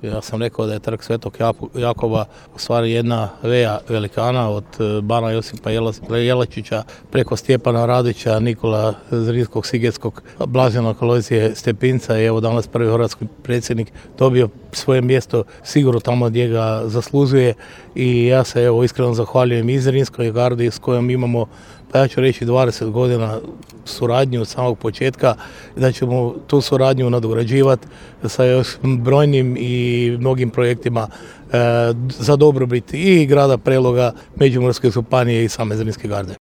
Ja sam rekao da je trg Svetog Jakova u stvari jedna veja velikana od bana Josipa Jelačića preko Stjepana Radića, Nikola Zrinskog, Sigetskog, Blaženog Alojzije Stepinca i evo danas prvi hrvatski predsjednik dobio svoje mjesto sigurno tamo gdje ga zaslužuje i ja se evo iskreno zahvaljujem i Zrinskoj gardi s kojom imamo, pa ja ću reći 20 godina suradnju od samog početka, da ćemo tu suradnju nadograđivati sa još brojnim i mnogim projektima za dobrobit i grada Preloga, Međimurske županije i same Zrinske garde.